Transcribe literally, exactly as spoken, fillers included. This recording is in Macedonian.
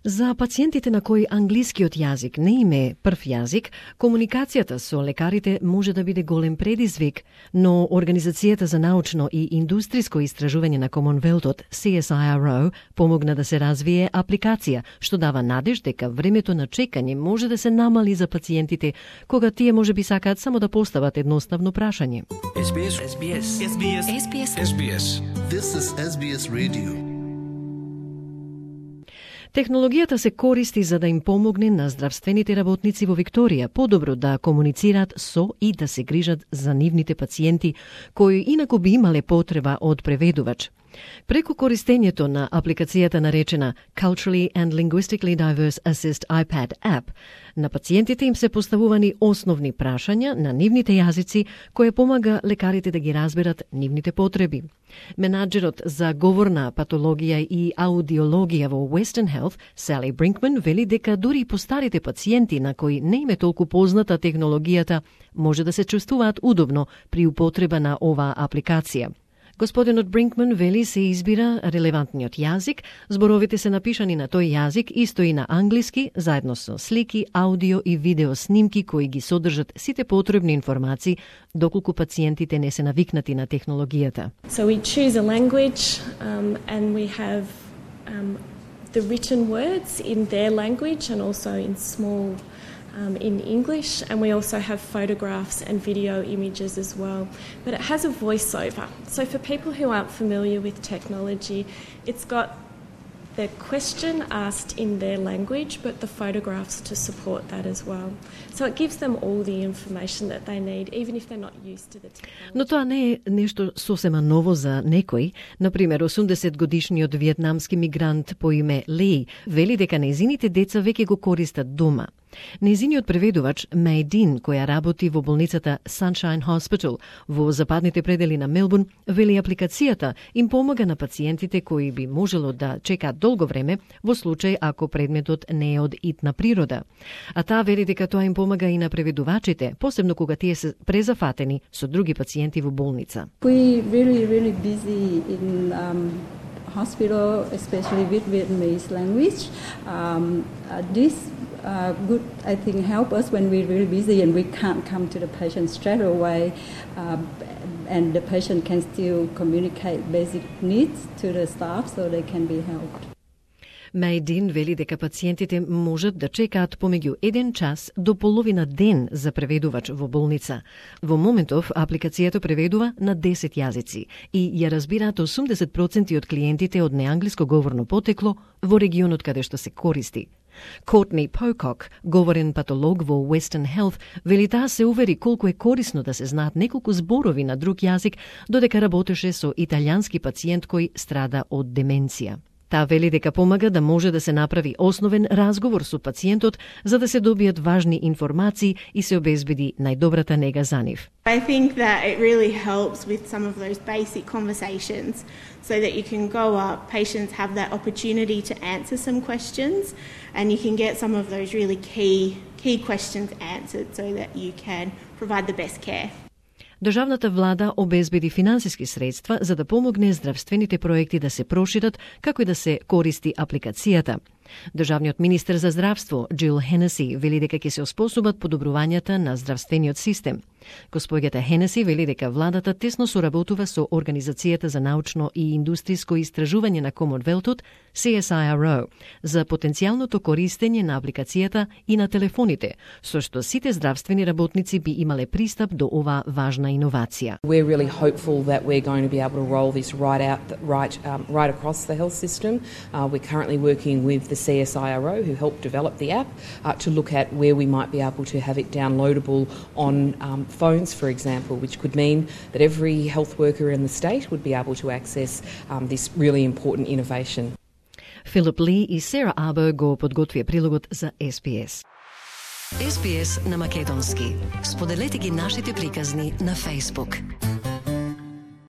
За пациентите на кои англискиот јазик не им е прв јазик, комуникацијата со лекарите може да биде голем предизвик, но Организацијата за научно и индустриско истражување на Комонвелтот, Си Ес Ај Ар О, помогна да се развие апликација, што дава надеж дека времето на чекање може да се намали за пациентите, кога тие може би сакаат само да постават едноставно прашање. Ес Би Ес. Ес Би Ес. Ес Би Ес. Ес Би Ес. Ес Би Ес. This is Ес Би Ес Radio. Технологијата се користи за да им помогне на здравствените работници во Викторија подобро да комуницираат со и да се грижат за нивните пациенти, кои инаку би имале потреба од преведувач. Преку користењето на апликацијата наречена Culturally and Linguistically Diverse Assist iPad App, на пациентите им се поставувани основни прашања на нивните јазици, кое помага лекарите да ги разберат нивните потреби. Менаџерот за говорна патологија и аудиологија во Western Health, Сали Бринкман, вели дека дури и постарите пациенти на кои не им е толку позната технологијата, може да се чувствуваат удобно при употреба на оваа апликација. Господинот Бринкман вели се избира релевантниот јазик, зборовите се напишани на тој јазик исто и на англиски, заедно со слики, аудио и видео снимки кои ги содржат сите потребни информации, доколку пациентите не се навикнати на технологијата. So we choose a language um, and we have um, the written words in their language and also in small Um, in English, and we also have photographs and video images as well. But it has a voiceover. So for people who aren't familiar with technology, it's got the question asked in their language, but the photographs to support that as well. So it gives them all the information that they need, even if they're not used to the technology. Но тоа не е нешто сосема ново за некој. Например, осумдесет годишниот виетнамски мигрант по име Ли вели дека нејзините деца веќе го користат дома. Нејзиниот преведувач Меј Дин, која работи во болницата Sunshine Hospital во западните предели на Мелбурн, вели апликацијата им помага на пациентите кои би можело да чекаат долго време во случај ако предметот не е од итна природа. А таа вели дека тоа им помага и на преведувачите, посебно кога тие се презафатени со други пациенти во болница. We really really busy in um... hospital, especially with Vietnamese language. Um, uh, this uh, would, I think, help us when we're really busy and we can't come to the patient straight away, uh, and the patient can still communicate basic needs to the staff so they can be helped. Мејдин вели дека пациентите можат да чекаат помеѓу еден час до половина ден за преведувач во болница. Во моментов апликацијата преведува на десет јазици и ја разбираат осумдесет проценти од клиентите од неанглиско говорно потекло во регионот каде што се користи. Кортни Покок, говорен патолог во Western Health, вели таа се увери колку е корисно да се знаат неколку зборови на друг јазик, додека работеше со италијански пациент кој страда од деменција. Таа вели дека помага да може да се направи основен разговор со пациентот за да се добијат важни информации и се обезбеди најдобрата нега за нив. I think that it really helps with some of those basic conversations so that you can go up, patients have that opportunity to answer some questions and you can get some of those really key key questions answered so that you can provide the best care. Државната влада обезбеди финансиски средства за да помогне здравствените проекти да се прошират, како и да се користи апликацијата. Државниот министер за здравство, Джил Хенеси, вели дека ќе се оспособат подобрувањата на здравствениот систем. Госпоѓата Хенеси вели дека владата тесно соработува со Организацијата за научно и индустриско истражување на Комонвелтот, Си Ес Ај Ар О, за потенцијалното користење на апликацијата и на телефоните, со што сите здравствени работници би имале пристап до оваа важна иновација. We're really hopeful that we're going to be able to roll this right out, right, um, right across the health system. Uh, we're currently working with the C S I R O, who helped develop the app, uh, to look at where we might be able to have it downloadable on um, phones, for example, which could mean that every health worker in the state would be able to access um, this really important innovation. Филип Ли и Сера Або го подготвија прилогот за Ес Би Ес. Ес Би Ес на македонски. Споделете ги нашите приказни на Facebook.